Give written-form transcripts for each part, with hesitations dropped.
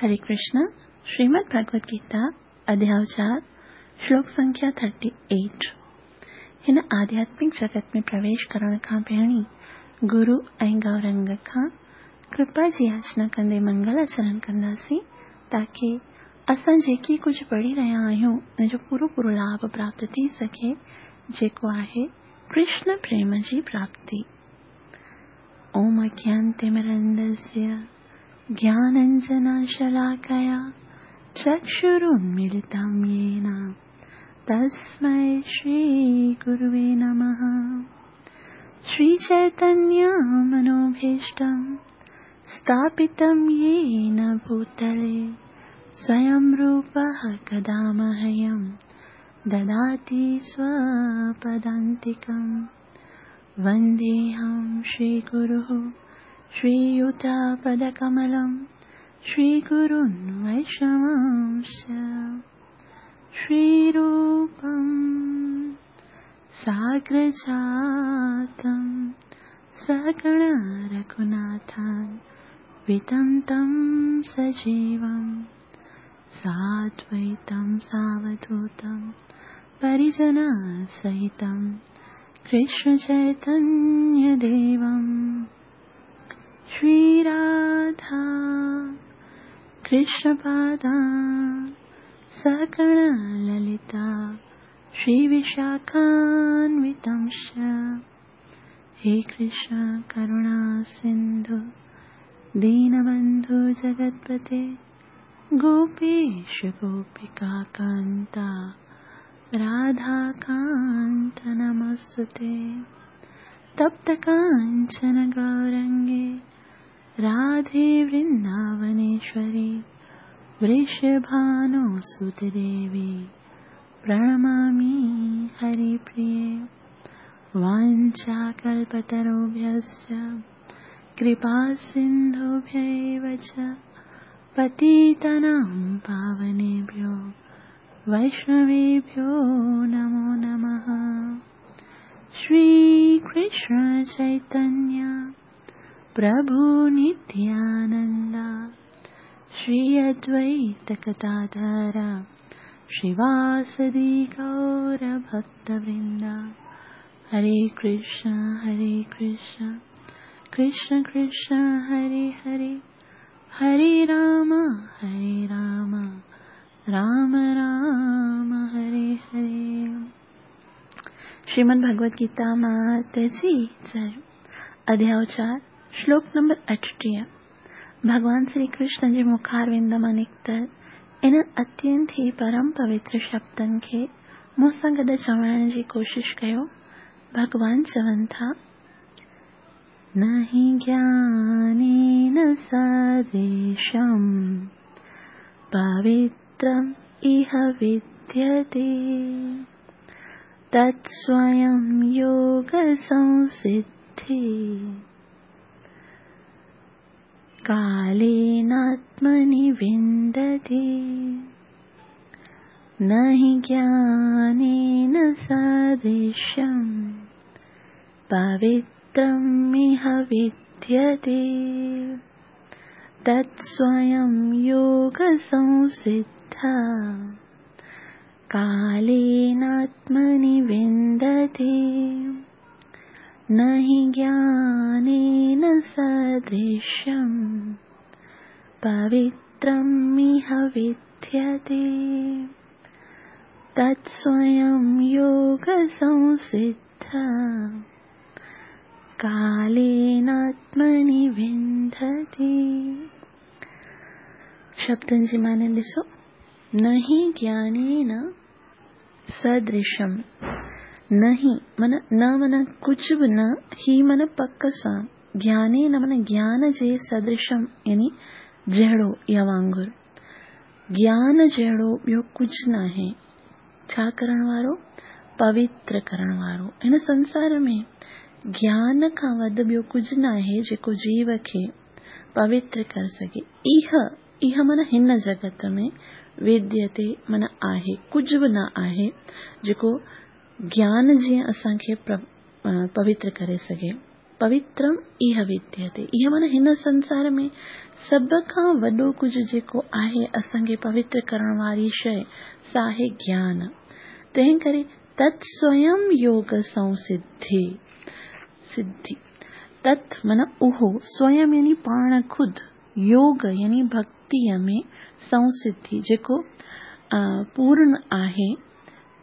हरे कृष्ण। श्रीमद् भगवद गीता अध्याय 4 श्लोक संख्या 38। हिन आध्यात्मिक जगत में प्रवेश करण खां पहिरीं गुरु ऐं गौरंग खां कृपा जी याचना कंदे मंगल आचरण कंदासीं ताकी असां जेकी कुझु पढ़ी रहिया आहियूं उन जो पूरो पूरो लाभ प्राप्त थी सघे, जेको आहे कृष्ण प्रेम जी प्राप्ति। ओम अज्ञानतिमिरन्दस्य ज्ञानाञ्जनशलाकया चक्षुरुन्मीलितं येन तस्मै श्रीगुरुवे नमः। श्रीचैतन्यमनोभीष्टं स्थापितं येन भूतले स्वयं रूपः कदा मह्यं ददाति स्वपदान्तिकं। वन्देऽहं श्रीगुरुः श्रीयुतपदकमलं श्रीगुरुन् वैष्णवांश्च। श्रीरूपं साग्रजातं सहगण रघुनाथान्वितं तं सजीवं साद्वैतं सावधूतं परिजनसहितं कृष्णचैतन्यदेवं। श्रीराधा कृष्णपादा सहगण ललिता श्रीविशाखान्वितंश्च। हे कृष्ण करुणा सिन्धु दीनबन्धु जगत्पते गोपेश गोपिकान्ता राधाकान्त नमस्तुते। तप्त काञ्चन गौरङ्गे राधे वृन्दावनेश्वरी वृषभानुसुते देवी प्रणमामि हरिप्रिये। वाञ्छाकल्पतरुभ्यश्च कृपासिन्धुभ्य एव च पतितानां पावनेभ्यो वैष्णवेभ्यो नमो नमः। श्रीकृष्ण चैतन्य प्रभु नित्यानन्द श्री अद्वैत गदाधर श्रीवासदि गौरभक्तवृन्द। हरे कृष्ण कृष्ण कृष्ण हरे हरे, हरे राम राम राम हरे हरे। श्रीमद् भगवद गीता मात जी जय। अध्याय 4 श्लोक नंबर 38। भॻवान श्री कृष्ण जे मुखारविंद मां निकितल इन्हनि अत्यंत ई परम पवित्र शब्दनि खे मूं सां गॾु चवण जी कोशिश कयो। भॻवान चवनि था, न हि ज्ञानेन सदृशं पवित्रम् इह विद्यते तत्स्वयं योगसंसिद्धि कालेनात्मनि विन्दति। न हि ज्ञानेन सदृशं पवित्रम् इह विद्यते तत्स्वयं योगसंसिद्धा कालेनात्मनि विन्दति। न हि ज्ञानेन सदृशं पवित्रम् इह विद्यते तत्स्वयं योगसंसिद्धा कालेनात्मनि विन्दति। शब्दनि जी माने ॾिसो, न हि ज्ञानेन सदृशं, न हि माना न माना कुझु बि न, ही माना पक सां, ज्ञानेन माना ज्ञान जे सदृशं यानी जहिड़ो या वांगुरु, ज्ञान जहिड़ो ॿियो कुझु नाहे। छा करण वारो? पवित्र करण वारो। हिन संसार में ज्ञान खां वधि ॿियो कुझु नाहे जेको जीव खे पवित्र करे सघे। इह, इह माना हिन जगत में, विद्यते माना आहे, कुझु बि न आहे जेको ज्ञान जीअं असांखे पवित्र करे सघे। पवित्रम इह विद्यते। इह माना हिन संसार में सभ खां वॾो कुझु जेको आहे असांखे पवित्र करण वारी शइ, सा आहे ज्ञान। तंहिं करे तत् स्वयं योग संसिद्धि सिद्धि। तत् माना उहो, स्वयं यानी पाण ख़ुदि, योग यानी भक्तीअ में संसिद्धि जेको पूर्ण आहे।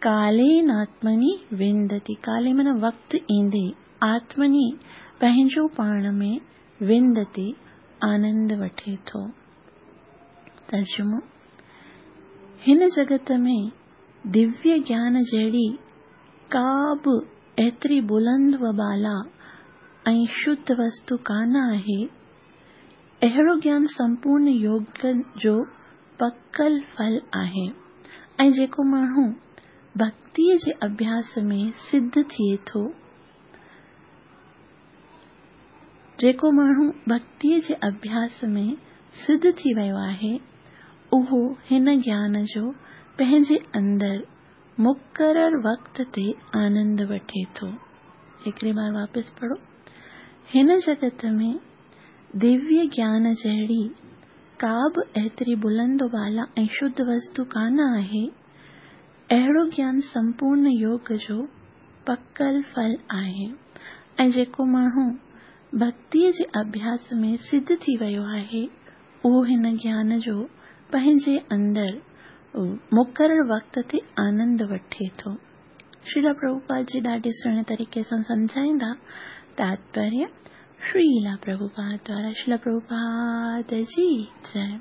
कालेन आत्मनि विंदति, काले माना वक़्तु ईंदे, आत्मनि पंहिंजो पाण में, विंदति आनंद वठे थो। तर्जुमो: हिन जगत में दिव्य ज्ञान जहिड़ी का बि एतिरी बुलंद व बाला ऐं शुद्ध वस्तु कान आहे। अहिड़ो ज्ञान संपूर्ण योग जो पकल फल आहे ऐं जेको माण्हू भक्तीअ जे अभ्यास में सिद्ध थिए थो, जेको माण्हू भक्तीअ जे अभ्यास में सिद्ध थी वियो आहे, उहो हिन ज्ञान जो पंहिंजे अंदरि मुक़ररु वक़्त ते आनंद वठे थो। हिकिड़ी बार वापसि पढ़ो। हिन जगत में दिव्य ज्ञान जहिड़ी का बि एतिरी बुलंद बाला ऐं शुद्ध वस्तु कान आहे। अहिड़ो ज्ञान संपूर्ण योग जो पकल फल आहे ऐं जेको माण्हू भक्तीअ जे अभ्यास में सिद्ध थी वियो आहे, उहो हिन ज्ञान जो पंहिंजे अंदरि मुक़ररु वक़्त ते आनंद वठे थो। श्रीला प्रभुपाद जी ॾाढे सुहिणे तरीक़े सां सम्झाईंदा। तात्पर्य श्रीला प्रभुपाद द्वारा। श्रीला प्रभुपाद जी जय।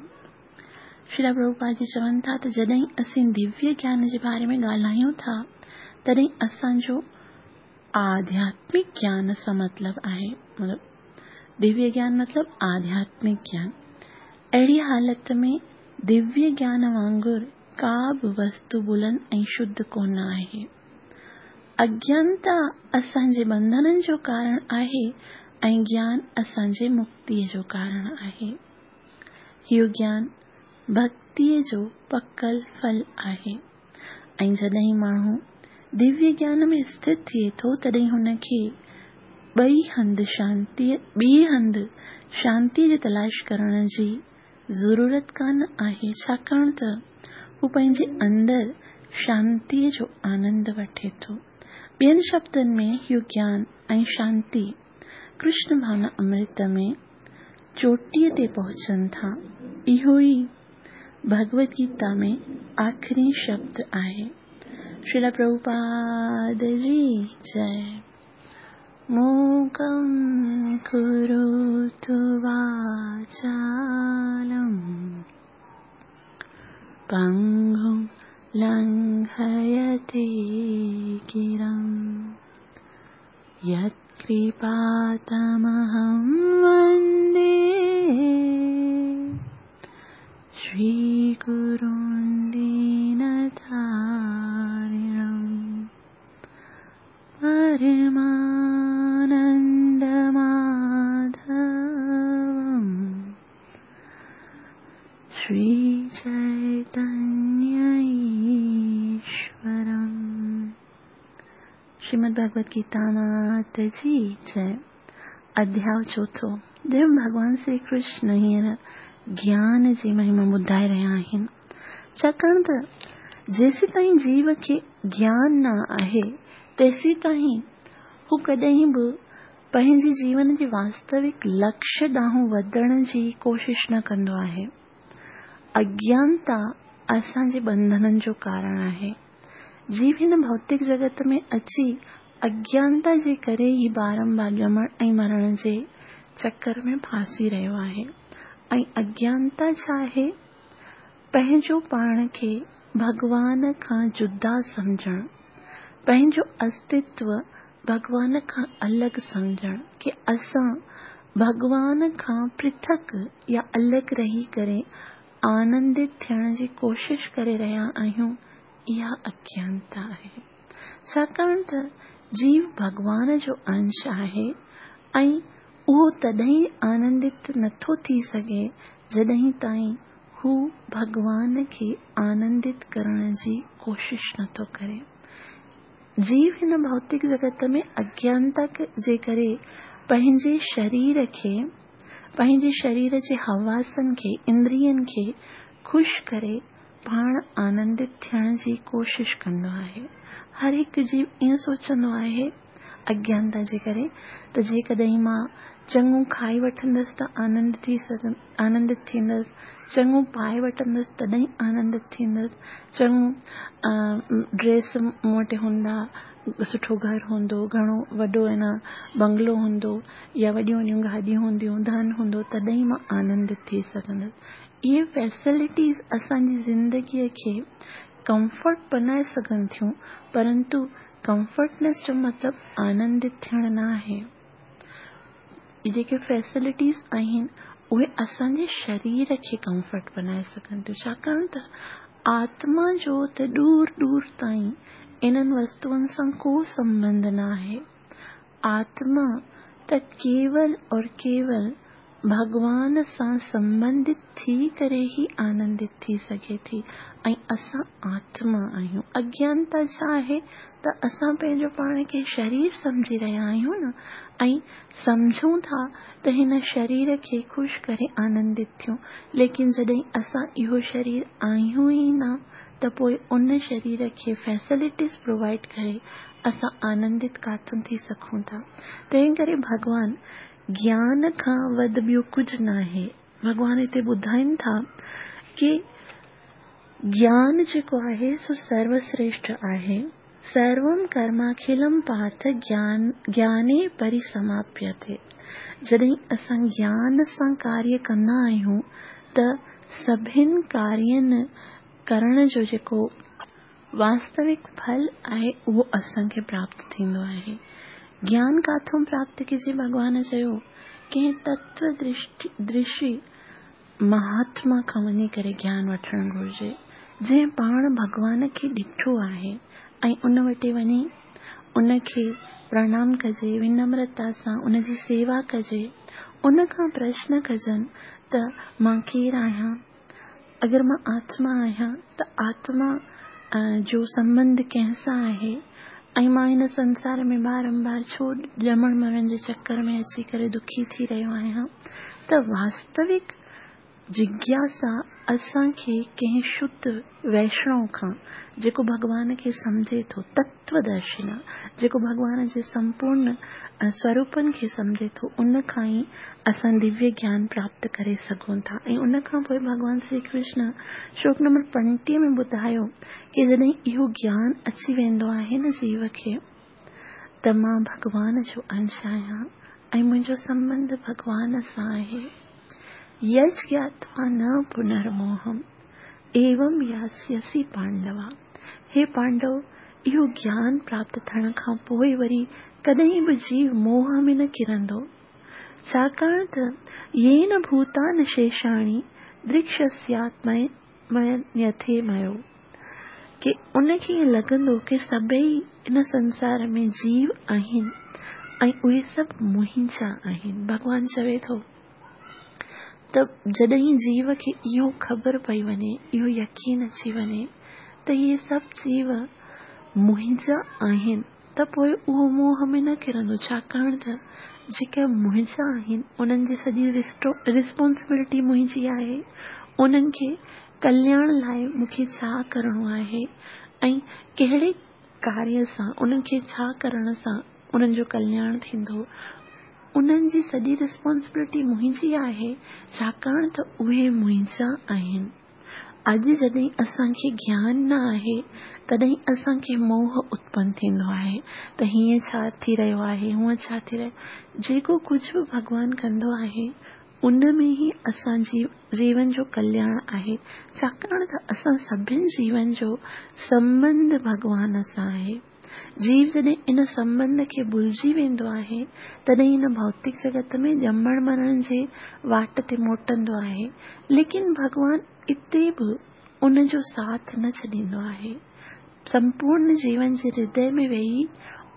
श्रीला प्रभुपाद जी चवनि था त जॾहिं असीं दिव्य ज्ञान जे बारे में ॻाल्हायूं था, तॾहिं असांजो आध्यात्मिक ज्ञान सां मतिलबु आहे, मतिलबु दिव्य ज्ञान मतिलबु आध्यात्मिक ज्ञान। अहिड़ी हालत में दिव्य ज्ञान वांगुरु का बि वस्तु बुलंद ऐं शुद्ध कोन आहे। अज्ञानता असांजे बंधननि जो कारण आहे ऐं ज्ञान असांजे मुक्तीअ जो कारण आहे। इहो ज्ञान भक्तीअ जो पकल फल आहे ऐं जॾहिं माण्हू दिव्य ज्ञान में स्थित थिए थो, तॾहिं हुनखे ॿई हंधि शांतीअ ॿिए हंधि शांतीअ जी तलाश करण जी ज़रूरत कान आहे, छाकाणि त हू पंहिंजे अंदरि शांतीअ जो आनंद वठे थो। ॿियनि शब्दनि में इहो ज्ञान ऐं शांति कृष्ण भावना अमृत में चोटीअ ते पहुचनि था। इहो ई भगवद गीता में आख़िरी शब्द आहे। श्रीला प्रभुपाद जी जय। मूकं करोतु वाचालं पङ्गुं लङ्घयते गिरिं, यत्कृपातमहं वन्दे श्रीगुरुं दीनतारिणं। परमानन्दमाधवं श्रीचैतन्य ईश्वरम्। श्रीमद् भगवद गीता मात जी जय। अध्याय चोथों, जंहिं भॻवान श्री कृष्ण हींअर ज्ञान जी महिमा ॿुधाए रहिया आहिनि। छाकाणि त जेसीं ताईं जीव खे ज्ञान न आहे, तेसीं ताईं हू कॾहिं बि पंहिंजे जीवन जे वास्तविक लक्ष्य ॾांहुं वधण जी कोशिश न कंदो आहे। अज्ञानता असांजे बंधननि जो कारण आहे। जीव हिन भौतिक जगत में अची अज्ञानता जे करे ई बारंबार ॼमण ऐं मरण जे चक्कर में फांसी रहियो आहे। ऐं अज्ञानता छा आहे? पंहिंजो पाण खे भॻवान खां जुदा सम्झणु, पंहिंजो अस्तित्व भॻवान खां अलॻि सम्झणु, की असां भॻवान खां पृथक या अलॻि रही करे आनंदित थियण जी कोशिश करे रहिया आहियूं, इहा अज्ञानता आहे। छाकाणि त जीव भॻवान जो अंश आहे ऐं उहो तॾहिं आनंदित नथो थी सघे जॾहिं ताईं हू भॻवान खे आनंदित करण जी कोशिश नथो करे। जीव हिन भौतिक जगत में अज्ञानता जे करे پنهنجي شرير کي، پنهنجي شرير جي حواسن کي، اندرين کي خوش ڪري پاڻ آنندت ٿيڻ جي ڪوشش ڪندو آهي. هر هڪ جيو ائين سوچندو آهي اگيانتا جي ڪري ته جيڪڏهن مان چڱو کائي وٺندس ته آنند ٿي آنندت ٿيندس، چڱو پائي وٺندس تڏهن آنندت ٿيندس، چڱو ڊريس مون وٽ هوندا، سٺو گهر هوندو، گهڻو وڏو ۽ نه بنگلو هوندو يا وڏيون وڏيون گاڏيون هونديون، ڌن هوندو تڏهن مان آنندت ٿي سگهندس. اهي فيسلٽيز اسان جي زندگيء کي ڪمفرٽ بنائي سگهن ٿيون پرنتو ڪمفرٽنيس جو مطلب آنندت ٿيڻ نه آهي. جيڪي فيسلٽيز آهن اهي اسان جي شرير کي ڪمفرٽ بنائي سگهن ٿيون ڇاڪاڻ ته آتما جو ته ڏور ڏور تائين انهن وستوئن سان ڪو سنٻنڌ نه آهي. آتما ته ڪيول اور ڪيول ڀڳوان سان سنٻنڌت ٿي ڪري ئي آنندت ٿي سگهي ٿي ۽ اسان آتما آهيون. اگيانتا ڇا آهي ته اسان پنهنجو پاڻ کي شرير سمجهي رهيا آهيون نه ۽ سمجهون ٿا ته هن شرير کي خوش ڪري آنندت ٿيون ليڪن جڏهن اسان اهو شرير آهيون ئي نه ته پوء ان شرير کي فيسلٽيز پرووائيڊ ڪري اسان آنندت ڪاٿون ٿي سگهون ٿا. تنهن ڪري ڀڳوان گيان کان وڌ ٻيو ڪجهه ناهي. ڀڳوان هتي ٻڌائين ٿا ڪي گيان جيڪو آهي سو سروسريشٺ آهي. سروم ڪرماکلم پارٿ گيان گياني پريسماپيتي. جڏهن اسان گيان سان ڪاريه ڪندا آهيون ته سڀن ڪارين ڪرڻ جو جيڪو واستوڪ ڦل آهي اهو اسان کي پراپت ٿيندو آهي. گيان ڪاٿون پراپت ڪجي ڀڳوان چيو ڪنهن تتو درشي مهاتما کان وڃي ڪري گيان وٺڻ گهرجي جنهن پاڻ ڀڳوان کي ڏٺو آهي ۽ ان وٽ وڃي ان کي پرڻام ڪجي ونمرتا سان ان جي سيوا ڪجي ان کان پرشن ڪجن ته مان ڪير آهيان اگر مان آتما آهيان ته آتما جو سنٻنڌ ڪنهن سان آهي ۽ مان هن سنسار ۾ بارمبار ڇو ڄمڻ مرڻ جي چڪر ۾ اچي ڪري دکي ٿي رهيو آهيان ته واستوڪ جگياسا اسان کي ڪنهن شڌ ويشڻو کان جيڪو ڀڳوان کي سمجهي ٿو، تتودرشنا، جيڪو ڀڳوان جي سمپورن سوروپن کي سمجهي ٿو، ان کان ئي اسان دويه گيان پراپت ڪري سگهون ٿا ۽ ان کان پوء ڀڳوان شري ڪرشن شلوڪ نمبر 35 ۾ ٻڌايو ڪي جڏهن اهو گيان اچي ويندو آهي نه جيو کي ته مان ڀڳوان جو انش آهيان ۽ منهنجو سنٻنڌ ڀڳوان سان آهي. يج گياتوا نه پنرموهم ايوم ياسيسي پانڊوا، هي پانڊو! اهو گيان پراپت ٿيڻ کان پوء وري ڪڏهن به جيو موهه ۾ نه ڪرندو. ڇاڪاڻ ته يين ڀوتانشيشاڻي درڪشسياتمنيٿيميو ڪي ان کي ائين لڳندو ڪي سڀئي ان سنسار ۾ جيو آهن ۽ اهي سڀ منهنجا آهن. ڀڳوان چوي ٿو ته جڏهن جيو کي اهو خبر پئي وڃي، اهو يقين اچي وڃي ته اهي سڀ جيو منهنجا آهن ته پوء اهو موهه ۾ نه ڪرندو ڇاڪاڻ ته جيڪي منهنجا آهن انهن جي سڄي ريسپانسبلٽي منهنجي آهي، انهن کي ڪلياڻ لاء مون کي ڇا ڪرڻو آهي ۽ ڪهڙي ڪاريه سان انهن کي ڇا ڪرڻ سان انهن جو ڪلياڻ ٿيندو، انهن جي سڄي ريسپانسبلٽي منهنجي آهي ڇاڪاڻ ته اهي منهنجا آهن. اڄ جڏهن اسان کي گيان نه آهي تڏهن اسان کي موهه اتپن ٿيندو آهي ته هيئن ڇا ٿي رهيو آهي هونئن ڇا ٿي رهيو جيڪو ڪجهه به ڀڳوان ڪندو آهي ان ۾ ئي اسان جي جيون جو ڪلياڻ آهي ڇاڪاڻ ته اسان سڀن جيون جو سنٻنڌ ڀڳوان سان آهي. جيو جڏهن ان سنٻنڌ کي ڀلجي ويندو آهي، تڏهن هن ڀوتڪ جڳت ۾ ڄمڻ مرڻ جي واٽ تي موٽندو آهي، ليڪن ڀڳوان اتي به ان جو ساٿ نه ڇڏيندو آهي. سمپورن جيون جي هردي ۾ ويهي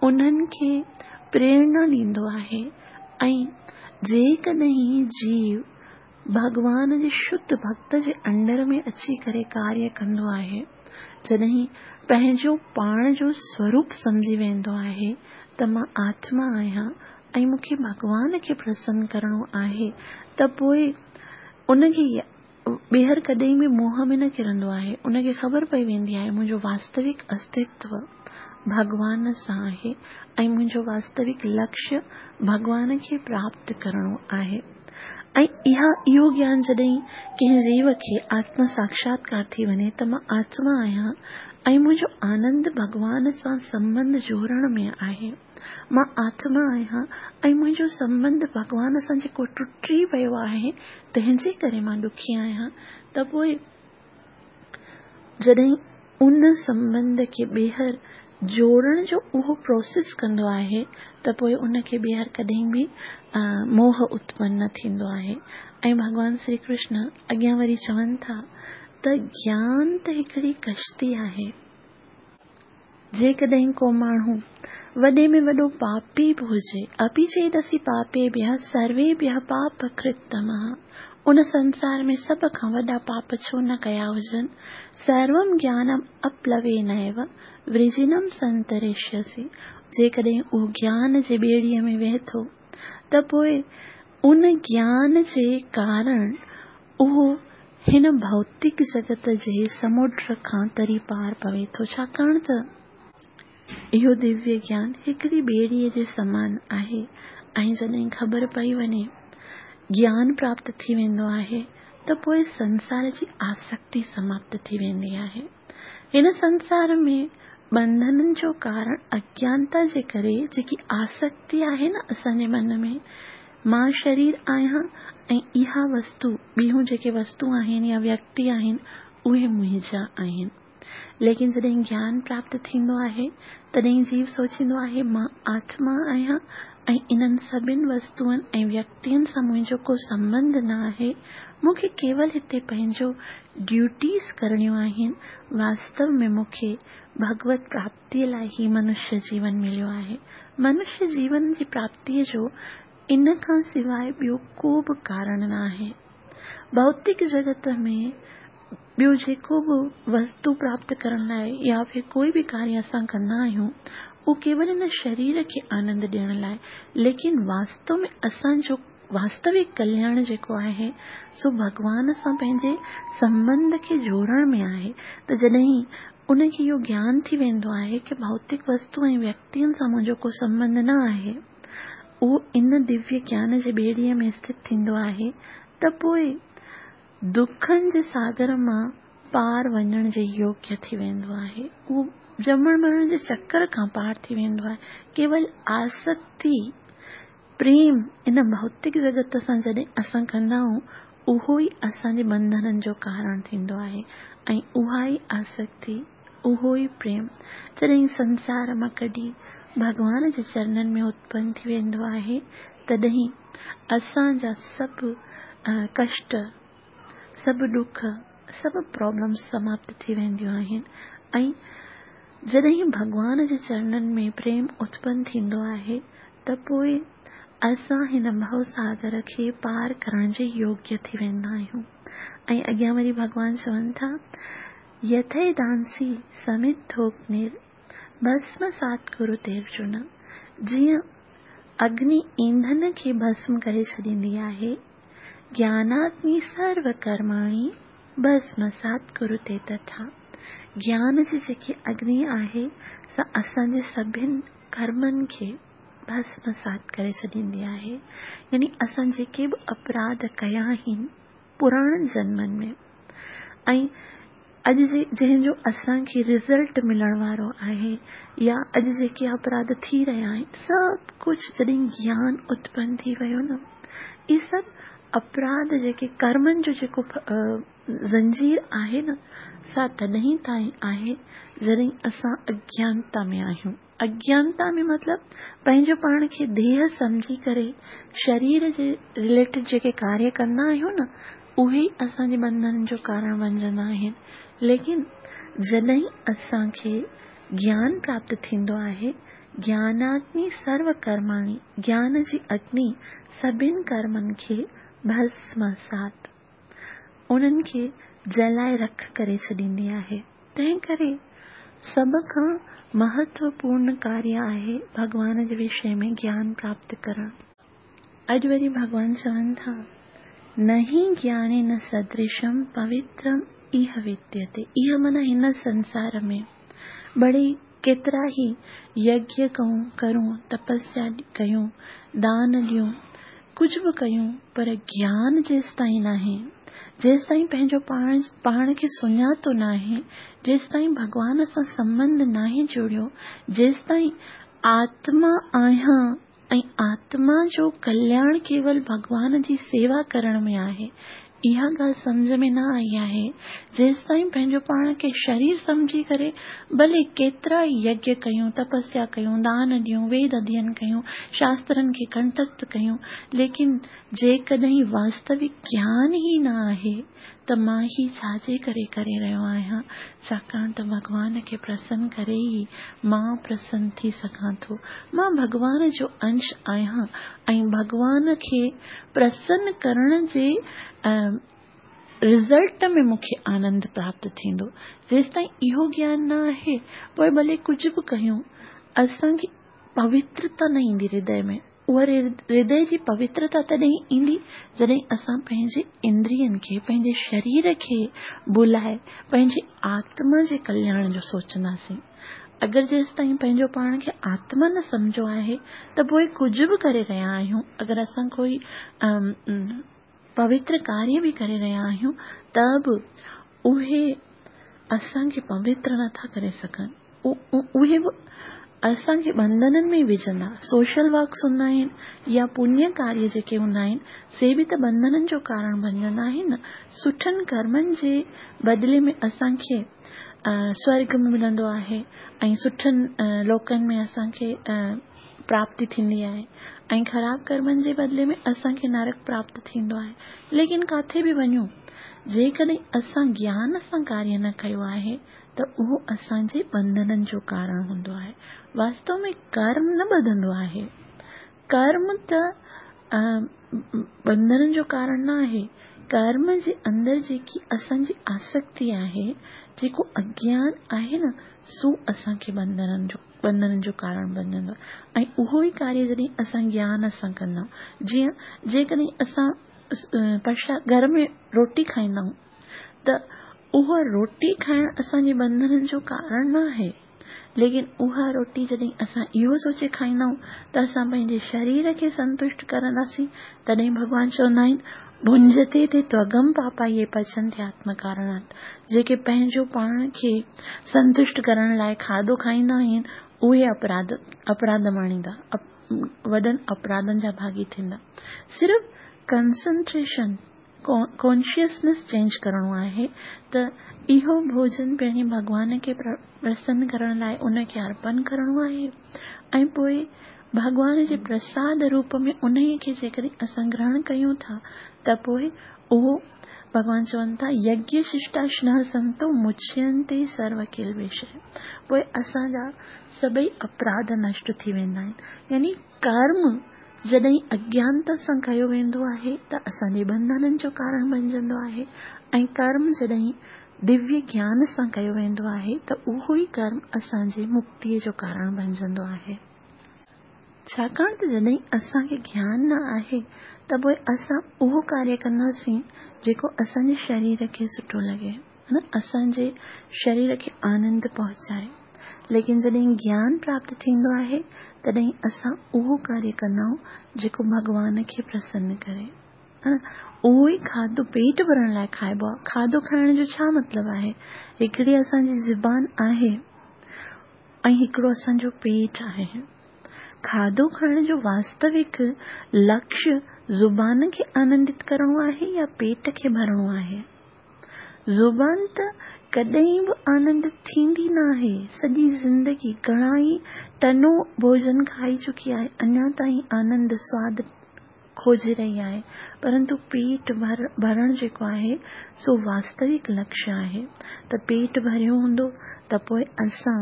انهن کي پريرڻا ڏيندو آهي ۽ جيڪڏهن جيو ڀڳوان جي شڌ ڀڳت جي انڊر ۾ اچي ڪري ڪاريه ڪندو آهي، جڏهن پنهنجو پاڻ جو سوروپ سمجهي ويندو آهي ته مان آتما آهيان ۽ مون کي ڀڳوان کي پرسن ڪرڻو آهي ته پوء ان کي ٻيهر ڪڏهن به موهه ۾ نه ڪرندو آهي. ان کي خبر پئي ويندي آهي منهنجو واستوڪ استتو ڀڳوان سان آهي ۽ منهنجو واستوڪ لڪشيه ڀڳوان کي پراپت ڪرڻو آهي. ۽ اها اهو گيان جڏهن ڪنهن جيو کي آتم ساڪشاتڪار ٿي وڃي ته مان آتما آهيان ۽ منهنجو آنند ڀڳوان سان سنٻنڌ جوڙڻ ۾ آهي. مان آتما آهيان ۽ منهنجو سنٻنڌ ڀڳوان سان جيڪو ٽٽي ويو آهي تنهن جي ڪري مان ڏکي آهيان ته پوء جڏهن ان سنٻنڌ کي ٻيهر جوڙڻ جو اهو پروسيس ڪندو آهي ته پوء ان کي ٻيهر ڪڏهن به موهه اتپن نه ٿيندو آهي ۽ ڀڳوان شري ڪرشن اڳيان وري چون ٿا ته گيان ته هڪڙي ڪشتي آهي. جيڪڏهن ڪو ماڻهو وڏي ۾ وڏو پاپي به هجي، اپي چيدسي پاپيڀيः سرويڀيः پاپڪرتتمः، ان سنسار ۾ سڀ کان وڏا پاپ ڇو نه ڪيا هجن، سروم گيانم اپلوينيو ورجنم سنتريشيسي، جيڪڏهن اهو گيان جي ٻيڙيء ۾ ويهي ٿو ته پوء ان گيان جي ڪارڻ اهو هن ڀوتڪ جڳت جي سمنڊ کان تري پار پوي ٿو، ڇاڪاڻ ته اهو دويه گيان هڪڙي ٻيڙيء جي سمان آهي ۽ جڏهن خبر پئي وڃي، گيان پراپت ٿي ويندو آهي ته پوء سنسار جي آسڪتي سماپت ٿي ويندي آهي. هن سنسار ۾ ٻنڌنن جو ڪارڻ اگيانتا جي ڪري جيڪي آسڪتي آهي نه اسان جي من ۾ مان شرير آهيان ۽ اها وستو، ٻيون جيڪي وستو آهن يا ويڪتي آهن اهي منهنجا آهن. ليڪن جڏهن گيان پراپت ٿيندو آهي، تڏهن جيو سوچيندو آهي، مان آتما آهيان ۽ انهن سڀن وستوئن ۽ ويڪتين سان منهنجو ڪو سنٻنڌ نه آهي، مون کي ڪيول هتي پنهنجو ڊيوٽيز ڪرڻيون آهن، واستو ۾ مون کي ڀڳوت پراپتيء لاء هي منشيه جيون مليو آهي. منشيه جيون جي پراپتيء جو ان کان سواء ٻيو ڪو به ڪارڻ نه آهي. ڀوتڪ جڳت ۾ ٻيو جيڪو به وستو پراپت ڪرڻ لاء يا ڦر ڪوئي به ڪاريه اسان ڪندا آهيون اهو ڪيول هن شرير کي آنند ڏيڻ لاء ليڪن واستو ۾ اسان جو واستوڪ ڪلياڻ جيڪو آهي سو ڀڳوان سان پنهنجي سنٻنڌ کي جوڙڻ ۾ آهي ته جڏهن ان کي اهو گيان ٿي ويندو آهي ڪه ڀوتڪ وستو ۽ ويڪتين سان منهنجو ڪو سنٻنڌ نه آهي اهو ان دويه گيان جي ٻيڙيء ۾ اسٿت ٿيندو آهي ته پوء دکن جي ساگر مان پار وڃڻ جي يوگيه ٿي ويندو آهي. اهو ڄمڻ مرڻ جي چڪر کان پار ٿي ويندو آهي. ڪيول آسڪتي، پريم ان ڀوتڪ جڳت سان جڏهن اسان ڪندا آهيون، اهو ئي اسان جي ٻنڌنن جو ڪارڻ ٿيندو آهي ۽ اها ئي آسڪتي، اهو ئي پريم جڏهن سنسار مان ڪڍي ڀڳوان جي چرنن ۾ اتپن ٿي ويندو آهي، تڏهن اسان جا سڀ ڪشٽ، سڀ ڏک، سڀ پرابلمس سماپت ٿي وينديون آهن ۽ جڏهن ڀڳوان جي چرنن ۾ پريم اتپن ٿيندو آهي ته پوء اسان هن ڀؤ ساگر کي پار ڪرڻ جي يوگيه ٿي ويندا آهيون ۽ اڳيان وري ڀڳوان چون ٿا يٿيدانسي سمڌوگنير ڀسمسات ڪروتي ارجن جيئن اگني اينڌن کي ڀسم ڪري ڇڏيندي آهي، گياناگني سرو ڪرماڻي ڀسمسات ڪروتي تٿا. گيان جي جيڪي اگني آهي سا اسان جي سڀن ڪرمن کي ڀسمسات ڪري ڇڏيندي آهي يعني اسان جيڪي به اپراڌ ڪيا آهن پراڻن جنمن ۾ ۽ اڄ جي جنهن جو اسان کي رزلٽ ملڻ وارو آهي يا اڄ جيڪي اپراڌ ٿي رهيا آهن سڀ ڪجهه جڏهن گيان اتپن ٿي ويو نه اهي سڀ اپراڌ جيڪي ڪرمن جو جيڪو زنجير آهي نه سا تڏهن تائين آهي جڏهن اسان اگيانتا ۾ آهيون اگيانتا ۾ مطلب پنهنجو پاڻ کي ديهه سمجهي ڪري شرير جي رليٽيڊ جيڪي ڪاريه ڪندا آهيون نه اهي ئي اسان جي ٻنڌنن جو ڪارڻ بنجندا آهن ليڪن جڏهن اسان کي گيان پراپت ٿيندو آهي گياناگني سرو ڪرماڻي گيان جي اگني سڀن ڪرمن کي ڀسمسات انهن کي جلائي رک ڪري ڇڏيندي آهي تنهن ڪري. سڀ کان مهتوپورڻ ڪاريه آهي ڀڳوان جي وشي ۾ گيان پراپت ڪرڻ. اڄ وري ڀڳوان چون ٿا، نهي گيانين سدرشم پوترم ايه وديتي. ايه معنيٰ هن سنسار ۾ ڀلي ڪيترا ئي يگيه ڪرون، تپسيا ڪيون، دان ڏيون، ڪجهه به ڪيون پر گيان جيستائين ناهي، جيستائين پنهنجو پاڻ کي سڃاتو ناهي، جيستائين ڀڳوان سان سنٻنڌ ناهي جوڙيو، جيستائين آتما آهيان ۽ آتما جو ڪلياڻ ڪيول ڀڳوان جي سيوا ڪرڻ ۾ آهي، اها ڳالهه سمجهه ۾ نه آئي آهي، جيستائين پنهنجو پاڻ کي شرير سمجهي ڪري ڀلي ڪيترا ئي يگيه ڪيون، تپسيا ڪيون، دان ڏيون، ويد اڌين ڪيون، شاسترن کي ڪنٺست ڪيون، ليڪن جيڪڏهن واستوڪ گيان ئي نه آهي ته مان هي ڇا جي ڪري ڪري رهيو آهيان، ڇاڪاڻ ته ڀڳوان کي پرسن ڪري ئي مان پرسن ٿي سگهان ٿو. مان ڀڳوان جو انش آهيان ۽ ڀڳوان کي پرسن ڪرڻ جي رزلٽ ۾ مون کي آنند پراپت ٿيندو. جيستائين اهو گيان نه آهي، پوء ڀلي ڪجهه به ڪيون، اسان کي پوترتا نه ايندي هردي ۾. اها هردي جي پوترتا تڏهن ايندي جڏهن اسان پنهنجي اندرين کي، پنهنجي شرير کي ڀلائي پنهنجي آتما جي ڪلياڻ جو سوچنداسين. اگر جيستائين پنهنجو پاڻ کي آتما نه سمجهيو آهي ته پوء ڪجهه به ڪري رهيا آهيون، اگر اسان ڪوئي پوتر ڪاريه به ڪري رهيا آهيون ته به اهي اسان کي پوتر نه ٿا ڪري سگهن. اهي به اسان کي ٻنڌنن ۾ وجهندا. سوشل ورڪس هوندا آهن يا پڃ ڪاريه جيڪي هوندا آهن سي به ته ٻنڌنن جو ڪارڻ بنجندا آهن نه. سٺن ڪرمن جي بدلي ۾ اسان کي سورڳ ملندو آهي ۽ سٺن لوڪن ۾ اسان کي پراپتي ٿيندي آهي ۽ خراب ڪرمن جي بدلي ۾ اسان کي نرڪ پراپت ٿيندو آهي. ليڪن ڪاٿي به وڃون جيڪڏهن اسان گيان سان ڪاريه نه ڪيو آهي ته اهو اسان جي ٻنڌنن جو ڪارڻ هوندو آهي. واستو ۾ ڪرم نه ٻڌندو آهي. ڪرم ته ٻنڌنن جو ڪارڻ نه آهي. ڪرم جي اندر جيڪي اسان جي آسڪتي آهي، جيڪو اگيان آهي نه، سو اسان کي ٻنڌنن جو ڪارڻ بنجندو آهي ۽ اهو ئي ڪاريه جڏهن اسان گيان سان ڪندا آهيون، جيئن جيڪڏهن اسان پرشاد گهر ۾ روٽي کائيندا آهيون ته اها روٽي کائڻ اسان جي ٻنڌنن جو ڪارڻ نه آهي، ليڪن اها روٽي جڏهن اسان اهو سوچي کائيندا آهيون ته اسان پنهنجي شرير کي سنتشٽ ڪرنداسين، تڏهن ڀڳوان چوندا آهن، ڀنجتي تي توگم پاپا يي پچنتي آتم ڪارڻات، جيڪي پنهنجو پاڻ کي سنتشٽ ڪرڻ لاء کاڌو کائيندا آهن، اهي اپراڌ اپراڌ ماڻيندا، وڏن اپراڌن جا ڀاڳي ٿيندا. صرف ڪنسنٽريشن، ڪانشسنيس چينج ڪرڻو آهي ته اهو ڀوڄن پهرين ڀڳوان کي پرسن ڪرڻ لاء ان کي ارپن ڪرڻو آهي ۽ پوء ڀڳوان جي پرساد روپ ۾ انهي کي جيڪڏهن اسان گرهڻ ڪيون ٿا ته پوء اهو ڀڳوان چون ٿا يگيه ششٽاشنه سنتو مچينتي سرو ڪلبيشه پوء اسان جا سڀئي اپراڌ نشٽ ٿي ويندا آهن يعني ڪرم جڏهن اگيانتا سان ڪيو ويندو آهي ته اسان جي ٻنڌنن جو ڪارڻ بنجندو آهي ۽ ڪرم جڏهن دويه گيان سان ڪيو ويندو آهي ته اهو ئي ڪرم اسان جي مڪتيء جو ڪارڻ بنجندو آهي. ڇاڪاڻ ته جڏهن اسان کي گيان نه آهي ته پوء اسان اهو ڪاريه ڪنداسين جيڪو اسان جي شرير کي سٺو لڳي. اسان جي شرير کي آنند پهچائي. ليڪن جڏهن گيان پراپت ٿيندو آهي تڏهن اسان اهو ڪاريه ڪندا آهيون جيڪو ڀڳوان کي پرسن ڪري. اهو ئي کاڌو پيٽ ڀرڻ لاء کائبو آهي. کاڌو کائڻ جو ڇا مطلب آهي؟ هڪڙي اسان جي زبان آهي ۽ هڪڙو اسان جو پيٽ آهي. کاڌو کائڻ جو واستوڪ لڪشيه زبان کي آنندت ڪرڻو آهي يا پيٽ کي ڀرڻو آهي؟ زبان ته ڪڏهن به آنندت ٿيندي ناهي. سڄي زندگي گهڻا ئي ٽنو ڀوڄن کائي چڪي آهي، اڃا تائين آنند، سواد کوجي رهي آهي. پرنتو پيٽ ڀرڻ جيڪو آهي، سو واستوڪ لڪشيه آهي. ته پيٽ ڀريو هوندو ته پوء اسان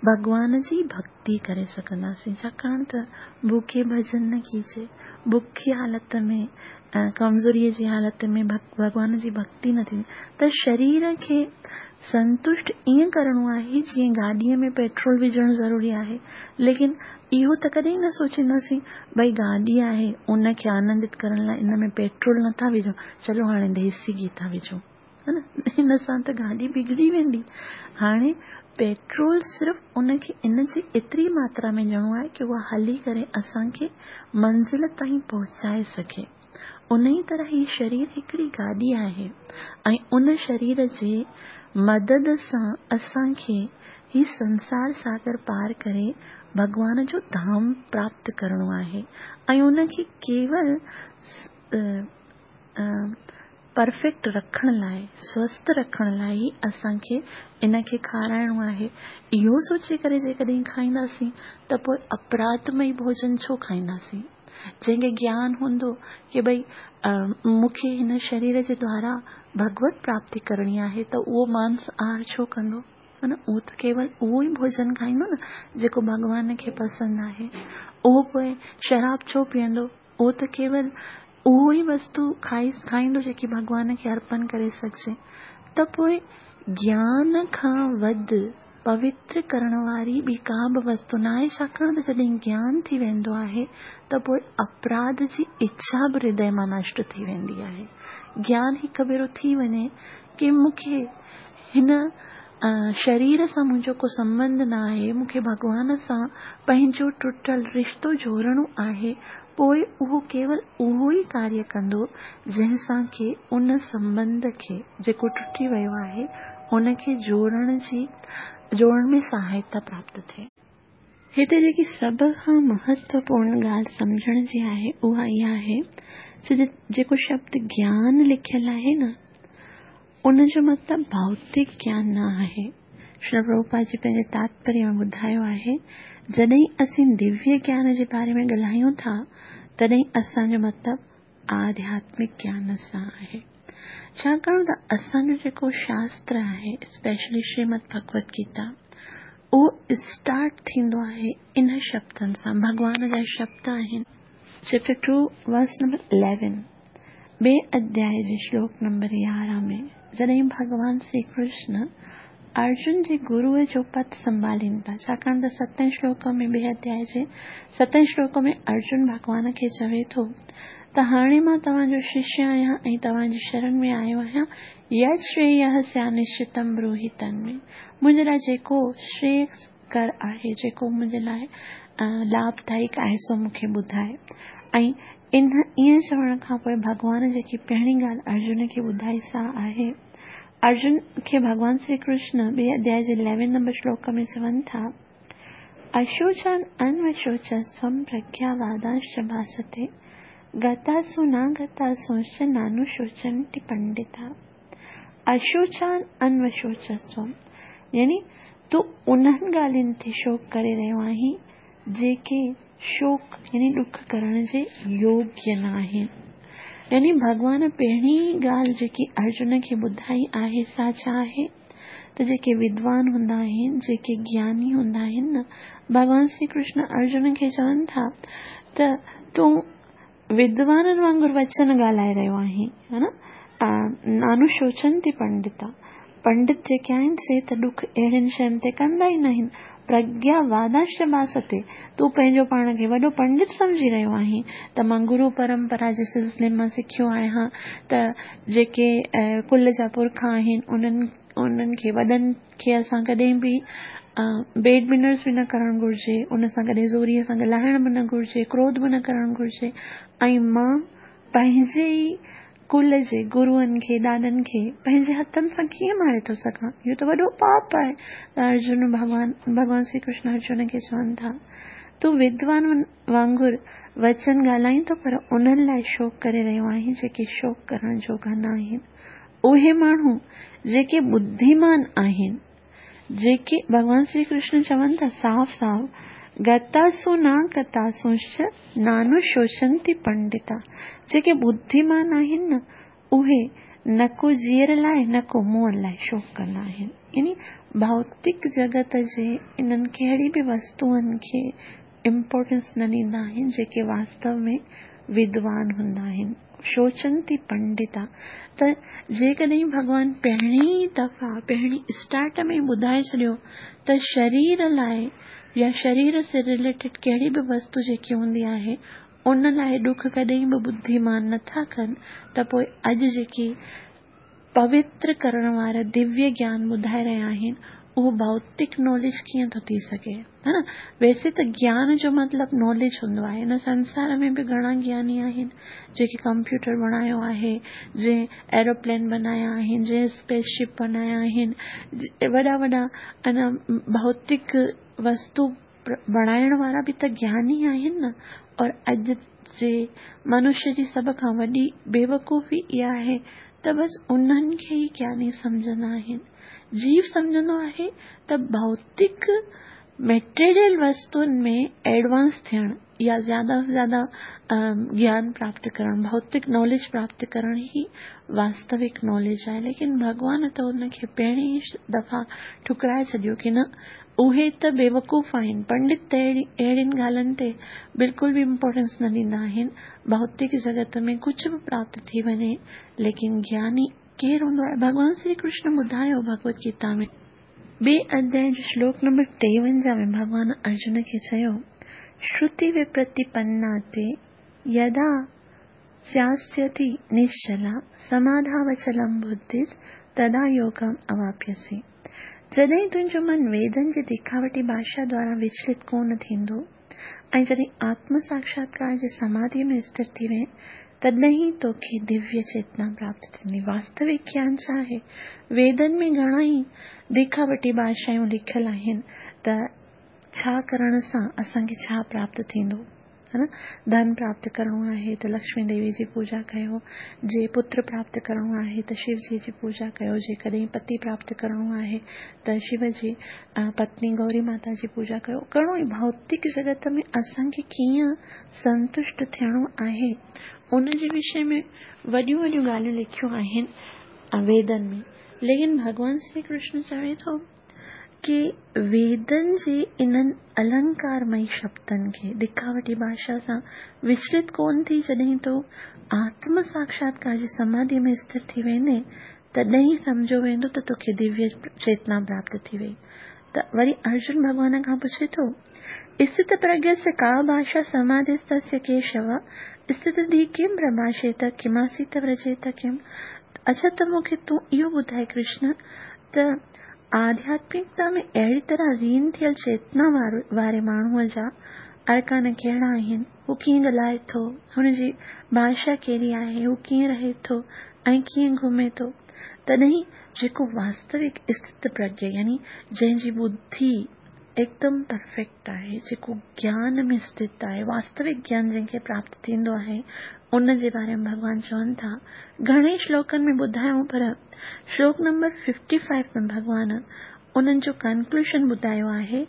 ڀڳوان جي ڀڳتي ڪري سگهنداسين. ڇاڪاڻ ته ڀوکي ڀڄن نه ڪيجي. بکي حالت ۾، ڪمزوريء جي حالت ۾ ڀڳوان جي ڀڳتي نه ٿيندي ته شرير کي سنتشٽ ائين ڪرڻو آهي جيئن گاڏيء ۾ پيٽرول وجهڻ ضروري آهي. ليڪن اهو ته ڪڏهن نه سوچينداسين ڀئي گاڏي آهي ان کي آنندت ڪرڻ لاء ان ۾ پيٽرول نٿا وجهون چلو هاڻي ديسي گيهه ٿا وجهون. ها نه هن سان ته گاڏي بگڙي ويندي. هاڻي پيٽرول صرف ان کي ان جي ايتري ماترا ۾ ڏيڻو آهي ڪي اها هلي ڪري اسان کي منزل تائين پهچائي سگهي. انهي طرح هي شرير هڪڙي گاڏي آهي ۽ ان شرير جي مدد سان اسان کي هي سنسار ساگر پار ڪري ڀڳوان جو ڌام پراپت ڪرڻو آهي ۽ ان کي ڪيول پرفيڪٽ رکڻ لاء، سوسٿ رکڻ لاء ئي اسان کي ان کي کارائڻو آهي. اهو سوچي ڪري جيڪڏهن کائينداسين ته پوء اپراڌمئي ڀوڄن ڇو کائينداسين؟ جنهن کي گيان هوندو ڪي ڀئي مون کي هن شرير جي دوارا ڀڳوت پراپتي ڪرڻي آهي ته اهو مانس آهار ڇو ڪندو؟ ها نه اهو ته ڪيول اهو ئي ڀوڄن کائيندو نه جيڪو ڀڳوان کي پسند آهي. اهو پوء شراب ڇو پيئندو؟ اهو ته ڪيول اهو ئي وستو کائي کائيندو جيڪي ڀڳوان کي ارپن ڪري سگهجي ته پوء گيان کان وڌ پوتر ڪرڻ واري ٻي ڪا به وستو نه آهي ڇاڪاڻ ته جڏهن گيان ٿي ويندو آهي ته پوء اپراڌ جي اڇا به هردي مان نشٽ ٿي ويندي آهي. گيان هڪ ڀيرو ٿي وڃي ڪي مون کي هن شرير سان منهنجو ڪو سنٻنڌ نه آهي، مون کي ڀڳوان سان پنهنجو ٽٽل رشتو جوڙڻو آهي، پوء اهو ڪيول اهو ئي ڪاريه ڪندو، جنهن سان ڪي ان سنٻنڌ کي، جيڪو ٽٽي ويو آهي، ان کي جوڙڻ جي جوڙڻ ۾ سهائتا پراپت ٿئي. هتي جيڪي سڀ کان مهتوپورڻ ڳالهه سمجهڻ جي آهي، اها اها آهي ته جيڪو شبد گيان لکيل آهي نه، ان جو مطلب ڀائوتڪ گيان نه آهي. شريل پرڀوپاد جي پنهنجي تاتپريه ۾ ٻڌايو آهي، جڏهن اسين دويه گيان جي باري ۾ ڳالهايون ٿا، تڏهن اسان جو مطلب آڌياتمڪ گيان سان آهي. ڇاڪاڻ ته اسان جو جيڪو شاستر آهي، اسپيشلي شريمد ڀڳوت گيتا، اهو اسٽارٽ ٿيندو آهي انهن شبدن سان، ڀڳوان جا شبد آهن. Chapter two verse number eleven, ٻئي اڌيائي جي شلوڪ نمبر 11 ۾ جڏهن ڀڳوان شري ڪرشن ارجن جي گروء جو پد سنڀالين ٿا، ڇاڪاڻ ته ستين شلوڪ ۾ ٻئي اڌيائي جي ستين شلوڪ ۾ ارجن ڀڳوان کي چوي ٿو ته هاڻي مان توهان جو ششيه آهيان ۽ توهان جي شرڻ ۾ آيو آهيان، يت شرييه سيانشچتم بروهي تنمي، منهنجي لاء جيڪو شريڪ ڪر آهي جيڪو منهنجي لاء لاڀدائڪ آهي سو مون کي ٻڌاء. ۽ ان ائين چوڻ کان پوء ڀڳوان جيڪي پهرين ڳالهه ارجن کي ٻڌائي سا آهي، ارجن کي ڀڳوان شري ڪرشن ٻئي اڌيائي جي اليون نمبر شلوڪ ۾ چون ٿا، اشوچان انوشوچستوم پرگياوادانشچ ڀاستي، گتاسو ناگتاسونشچ نانوشوچنتي پنڊتا. اشوچان انوشوچستوم يعني تون انهن ڳالهين تي شوڪ ڪري رهيو آهين، جيڪي شوڪ يعني ڏک ڪرڻ جي يوگيه نه آهن. يعني ڀڳوان پهرين ئي ڳالهه جيڪي ارجن کي ٻڌائي آهي سا ڇا آهي؟ ته جيڪي ودوان هوندا آهن، جيڪي گياني هوندا آهن نه، ڀڳوان شري ڪرشن ارجن کي چون ٿا ته تون ودوانن وانگر وچن ڳالهائي رهيو آهين، ها نه؟ نانوشوچنتي پنڊتا، پنڊت جيڪي آهن سي ته ڏک اهڙين شين تي ڪندا ئي ناهن. پرگيا وادانشچ ڀاستي، تون پنهنجو پاڻ کي وڏو پنڊت سمجهي رهيو آهين ته مان گرو پرمپرا جي سلسلي مان سکيو آهيان ته جيڪي ڪل جا پرکا آهن انهن انهن کي وڏن کي اسان ڪڏهن به بيڊ مينرز به نه ڪرڻ گهرجي، ان سان ڪڏهن زوريء سان ڳالهائڻ به نه گهرجي، ڪروڌ به نه ڪرڻ گهرجي ۽ مان پنهنجي ئي ڪل جي گروئن کي، ڏاڏن کي پنهنجي هٿن سان ڪيئن ماري ٿو سگهان؟ اهو ته وڏو پاپ آهي. ته ارجن ڀڳوان، ڀڳوان شري ڪرشن ارجن کي چون ٿا، تون ودوان وانگر وچن ڳالهائين ٿو پر انهن لاء شوڪ ڪري رهيو آهين جيڪي شوڪ ڪرڻ جوڳا نه آهن. اهي ماڻهو جيڪي ٻڌيمان آهن، جيڪي ڀڳوان شري ڪرشن چون ٿا صاف صاف، گتاسو نا گتاسونشچ نانوشوچنتي پنڊتا، جيڪي ٻڌيمان آهن نه اهي نه ڪو جيئر لاء نه ڪو مئل لاء شوڪ ڪندا آهن. يعني ڀوتڪ جڳت جي انهن ڪهڙي به وستوئن کي امپورٽنس نه ڏيندا آهن جيڪي واستو ۾ ودوان هوندا آهن. شوچنتي پنڊتا ته جيڪڏهن ڀڳوان پهرين دفعا پهرين اسٽارٽ ۾ ٻڌائي ڇڏيو ته شرير لاء يا شرير سي رليٽيڊ ڪهڙي به وستو جيڪي هوندي آهي ان لاء ڏک ڪڏهن به ٻڌيمان نٿا ڪن ته پوء اڄ جيڪي پوتر ڪرڻ وارا دويه گيان ٻڌائي رهيا آهن اهو ڀوتڪ ناليج ڪيئن ٿو ٿي سگهي ها نه ويسي ته گيان جو مطلب ناليج هوندو آهي هن سنسار ۾ به گهڻا گياني آهن جيڪي ڪمپيوٽر بڻايو آهي جنهن ايروپلين بنايا آهن جنهن اسپيس شپ بنايا آهن وڏا وڏا ان ڀوتڪ وستو بڻائڻ وارا به ته گياني آهن نه اور اڄ جي منشيه جي سڀ کان وڏي بيوقوفي اها آهي ته بس انهن کي ئي گياني سمجهندا آهن. جيو سمجهندو آهي ته ڀوتڪ ميٽيريل وستن ۾ ايڊوانس ٿيڻ يا زياده سان زياده گيان پراپت ڪرڻ، ڀوتڪ ناليج پراپت ڪرڻ ئي واستوڪ ناليج آهي ليڪن ڀڳوان ته ان کي پهرين ئي دفعا ٺڪرائي ڇڏيو ڪي نه اهي ته بيوقوف آهن، پنڊت ته اهڙين ڳالهين تي بلڪل به امپورٽنس نه ڏيندا آهن، ڀوتڪ جڳت ۾ ڪجهه به پراپت ٿي وڃي ليڪن گياني ڪير هوندو آهي؟ ڀڳوان شري ڪرشن ٻڌايو ڀڳوت گيتا ۾ ٻئي اڌيائي جو شلوڪ نمبر 53 ۾ ڀڳوان ارجن کي چيو، شروتي وپرتيپنا تي يدا سياسيتي نشچلا سماڌاوچلم ٻڌيس تدا يوگم اواپيسي. جڏهن تنهنجو من ويدن جي ديکاوٽي ڀاشا دوارا وچلت ڪو نه ٿيندو ۽ جڏهن آتم ساکشاتڪار جي سماڌيء ۾ اسٿر ٿي وئين، تڏهن ئي توکي دويه چيتنا پراپت ٿيندي. واستوڪ گيان ڇا آهي؟ ويدن ۾ گهڻا ئي ديکاوٽي ڀاشائون لکيل آهن ته ڇا ڪرڻ سان اسان کي ڇا پراپت ٿيندو؟ ها نه ڌن پراپت ڪرڻو آهي ته لڪشمي ديوي جي پوڄا ڪيو، جي پتر پراپت ڪرڻو آهي ته شو جي جي پوڄا ڪيو، جيڪڏهن پتي پراپت ڪرڻو آهي ته شو جي پتني گوري ماتا جي پوڄا ڪيو. گهڻو ئي ڀوتڪ جڳت ۾ اسان کي ڪيئن سنتشٽ ٿيڻو آهي ان جي وشي ۾ وڏيون وڏيون ڳالهيون لکيون آهن ويدن ۾ ليڪن ڀڳوان شري ڪرشن چوي ٿو ڪي ويدن جي انهن النڪارمئي شبدن کي دکاوٽي ڀاشا سان وچلت ڪونه ٿي جڏهن تون آتم ساکشاتڪار جي سماڌيء ۾ اسٿر ٿي ويندين تڏهن ئي سمجهيو ويندو ته توکي دويه چيتنا پراپت ٿي وئي ته وري ارجن ڀڳوان کان پڇي ٿو اسٿت پرگيس ڪا ڀاشا سماڌيستسيه ڪيشو اسٿت ڌي ڪم پرڀاشيت ڪماسيت ورجيت ڪم اڇا ته مون کي تون اهو ٻڌاء ڪرشن ته آڌياتمڪتا ۾ اهڙي طرح لين ٿيل چيتنا واري ماڻهوء جا ارڪان ڪهڙا آهن، هو ڪيئن ڳالهائي ٿو، هن جي ڀاشا ڪهڙي آهي، هو ڪيئن رهي ٿو ۽ ڪيئن گهمي ٿو، تڏهن جيڪو واستوڪ اسٿت پرگيه يعني جنهن جي ٻڌي هڪدم پرفيڪٽ آهي، جيڪو گيان ۾ اسٿت آهي، واستوڪ گيان جنهن کي پراپت ٿيندو آهي، ان جي باري ۾ ڀڳوان چون ٿا، گهڻي شلوڪن ۾ ٻڌايائون پر شلوڪ نمبر ففٽي فائيو ۾ ڀڳوان انهن جو ڪنڪلوشن ٻڌايو آهي،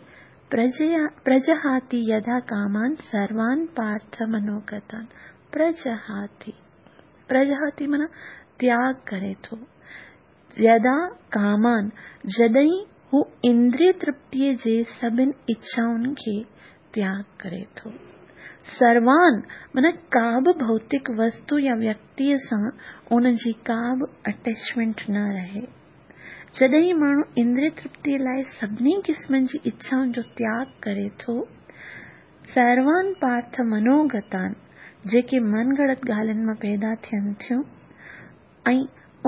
پرجهاتي يدا ڪامان سروان پارٿ منوگتان، پرجهاتي، پرجهاتي معنيٰ تياڳ ڪري ٿو. يدا ڪامان، جڏهن هو اندريه ترپتيء جي سڀن اڇائن کي تياڳ ڪري ٿو. سروان، معنيٰ ڪا به ڀوتڪ وستو يا ويڪتيء سان ان جي ڪا به اٽيچمينٽ نه رهي. جڏهن ماڻهو اندريه ترپتيء لاء سڀني قسمن جي اڇائن جو تياڳ ڪري ٿو، سروان پارٿ منوگتان، جيڪي من گهڙت ڳالهين مان پيدا ٿين ٿيون، ۽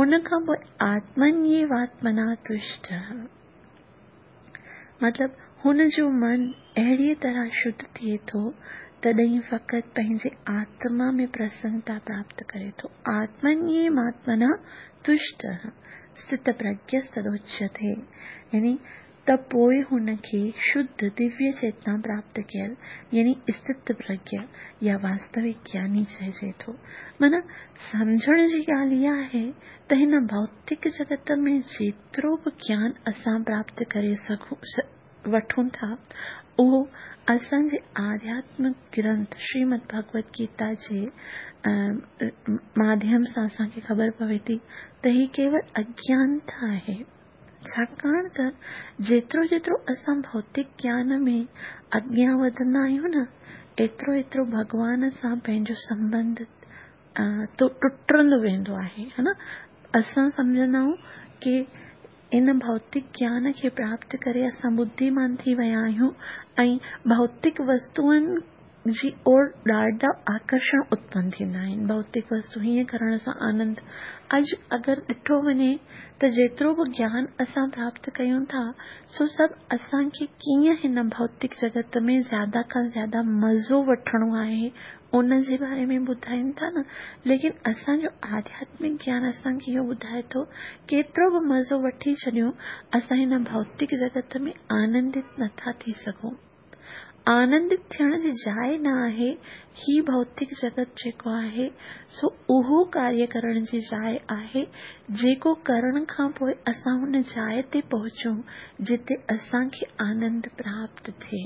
ان کان پوء آتمنيواتمنا تشٽه مطلب هن جو من اهڙيء طرح شڌ ٿئي ٿو تڏهن فقط پنهنجي آتما ۾ پرسنتا پراپت ڪري ٿو آتمنيواتمنا تشٽه اسٿتپرگيستدوچيتي يعني ته پوء هن کي شڌ دويه چيتنا پراپت ڪيل يعني اسٿت پرگيه يا واستوڪ گياني چئجي ٿو. معنيٰ سمجهڻ جي ڳالهه اها آهي ته هن ڀوتڪ جڳت ۾ جيترو به گيان اسان پراپت ڪري سگهون وٺون ٿا اهو اسان جي آڌياتمڪ گرنٿ شريمد ڀڳوت گيتا جي ماڌيم سان اسان کي خبر پوي ٿي ته هي ڪيول اگيانتا آهي. ڇاڪاڻ ته جيترو جيترو اسان ڀوتڪ گيان ۾ اڳيان وڌندا آهيون نه، एतिरो एतिरो भॻवान सां पंहिंजो संबंध टुटंदो वेंदो आहे, हा न। असां सम्झंदा आहियूं की इन भौतिक ज्ञान खे प्राप्त करे असां बुद्धिमान थी विया आहियूं ऐं भौतिक वस्तुअनि जी ओर ॾाढा आकर्षण उत्पन्न थींदा आहिनि। भौतिक वस्तु हीअं करण सां आनंद। अॼु अगरि ॾिठो वञे त जेतिरो बि ज्ञान असां प्राप्त कयूं था सो सभु असांखे कीअं हिन भौतिक जगत में ज़्यादा खां ज़्यादा मज़ो वठिणो आहे उन जे बारे में ॿुधाइनि था न। लेकिन असांजो आध्यात्मिक ज्ञान असांखे इहो ॿुधाए थो केतिरो बि मज़ो वठी छॾियूं, असां हिन भौतिक जगत में आनंदित नथा थी सघूं। आनंदित थियण जी जाइ न आहे। ही भौतिक जगत जेको आहे सो उहो कार्य करण जी जाइ आहे जेको करण खां पोइ असां हुन जाइ ते पहुचूं जिते असांखे आनंद प्राप्त थिए।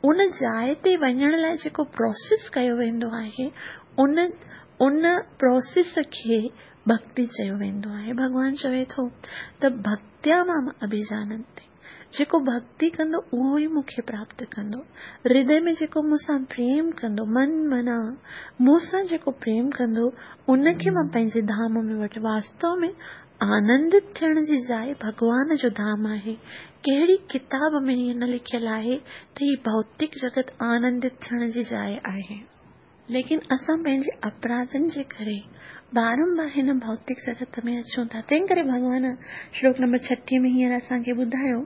उन जाइ ते वञण लाइ जेको प्रोसेस कयो वेंदो आहे उन प्रोसेस खे भक्ति चयो वेंदो आहे। भॻवान चवे थो त भक्त्या माम अभिजानन्ति, जेको भक्ति कंदो उहो ई मूंखे प्राप्त कंदो। हृदय में जेको मूंसां प्रेम कंदो, मन मना मूंसां जेको प्रेम कंदो उनखे मां पंहिंजे धाम में वठि। वास्तव में आनंदित थियण जी जाइ भॻवान जो धाम आहे। कहिड़ी किताब में ईअं न लिखियलु आहे त हीअ भौतिक जगत आनंदित थियण जी जाइ आहे। लेकिन असां पंहिंजे अपराधनि जे करे बारंबार हिन भौतिक जगत में अचूं था। तंहिं करे भॻवान श्लोक नंबर 36 में हींअर असांखे ॿुधायो,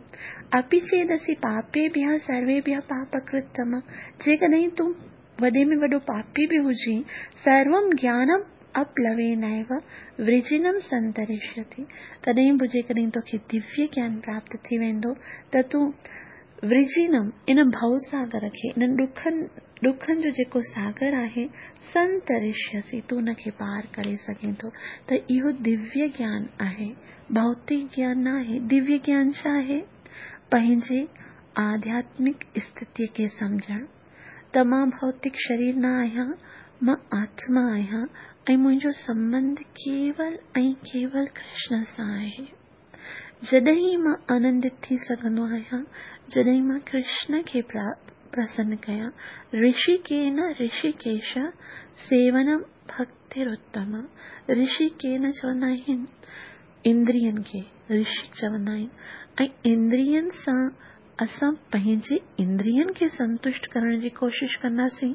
अपि चेदसि पापेभ्यः सर्वेभ्यः पापकृत्तम, जेकॾहिं तूं वॾे में वॾो पापी बि हुजीं, सर्वं ज्ञानम अप्लवेनैव वृजिनम संतरिष्यति, तॾहिं बि जेकॾहिं तोखे दिव्य ज्ञान प्राप्त थी वेंदो त तूं वृजिनम इन भवसागर खे, इन्हनि ॾुखनि जो जेको सागर आहे, संतरिष्यसि, तूं उनखे पार करे सघें थो। त इहो दिव्य ज्ञान आहे, भौतिक ज्ञान न आहे। दिव्य ज्ञान छा आहे? पंहिंजे आध्यात्मिक स्थितीअ खे सम्झणु त मां भौतिक शरीर न आहियां, मां आत्मा आहियां ऐं मुंहिंजो संबंध केवल ऐं केवल कृष्ण सां आहे। जॾहिं मां आनंदित थी सघंदो आहियां, जॾहिं मां कृष्ण खे प्रसन्न कयां। ऋषिकेन ऋषिकेश सेवनम भक्तिरुत्तम। ऋषिकेन चवंदा आहिनि इंद्रियनि खे ऋषि चवंदा आहिनि ऐं इंद्रियनि सां असां पंहिंजे इंद्रियनि खे संतुष्ट करण जी कोशिशि कंदासीं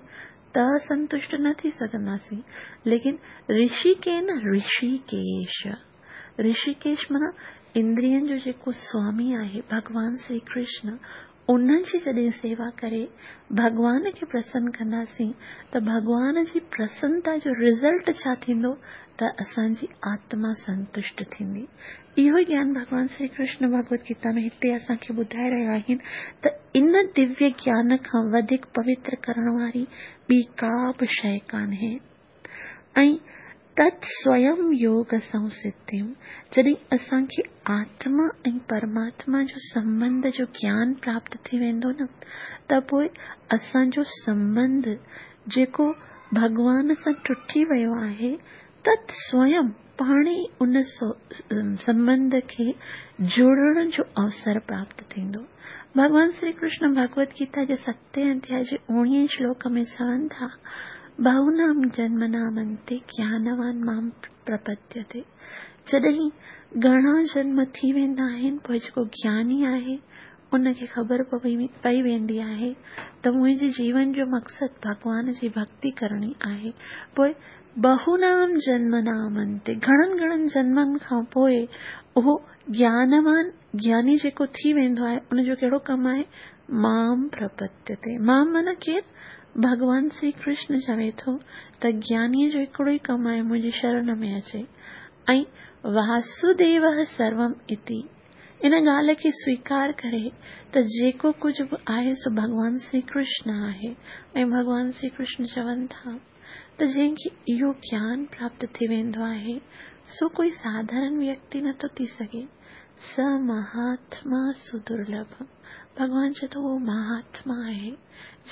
त संतुष्ट न थी सघंदासीं। लेकिन ऋषिकेन ऋषिकेश, ऋषिकेश माना इंद्रियनि जो जेको स्वामी आहे भॻवान श्री कृष्ण, उन्हनि जी जॾहिं सेवा करे भॻवान खे प्रसन्न कंदासीं त भॻवान जी प्रसन्नता जो रिज़ल्ट छा थींदो त असांजी आत्मा संतुष्ट थींदी। इहो ज्ञान भॻवान श्री कृष्ण भगवत गीता में हिते असांखे ॿुधाए रहिया आहिनि त इन दिव्य ज्ञान खां वधीक पवित्र करण वारी ॿी का बि शइ कान्हे। ऐं तत् स्वयं योग संसिद्धिम, जॾहिं असांखे आत्मा ऐं परमात्मा जो संबंध जो ज्ञान प्राप्त थी वेंदो न त पोइ असांजो संबंध जेको भॻवान सां टुटी वियो आहे, तत् स्वयं पाण ई उन संबंध खे जोड़ण जो अवसर प्राप्त थींदो। भॻवान श्री कृष्ण भगवत गीता जे 7 अध्याय जे 19 श्लोक में चवनि था, बहूनां जन्मनामन्ते ज्ञानवान मां प्रपद्यते। जॾहिं घणा जन्म थी वेंदा आहिनि पोइ जेको ज्ञानी आहे उनखे ख़बर पई वेंदी आहे त मुंहिंजे जीवन जो मक़सदु भॻवान जी भक्ति करणी आहे। पोइ बहूनां जन्मनामन्ते, घणनि घणनि जन्मनि खां पोइ उहो ज्ञानवान ज्ञानी जेको थी वेंदो आहे उनजो कहिड़ो कमु आहे? मां प्रपद्यते। मां माना केरु? भॻवान श्री कृष्ण चवे थो त ज्ञानीअ जो हिकिड़ो ई कमु आहे मुंहिंजी शरण में अचे। ऐं वासुदेवः सर्वम् इति, इन ॻाल्हि खे स्वीकार करे त जेको कुझु बि आहे सो भॻवान श्री कृष्ण आहे। ऐं भॻवान श्री कृष्ण चवनि था त जंहिंखे इहो ज्ञान प्राप्त थी वेंदो आहे सो कोई साधारण व्यक्ति नथो थी सघे। स महात्मा सुदुर्लभ, भॻवान चए थो उहो महात्मा आहे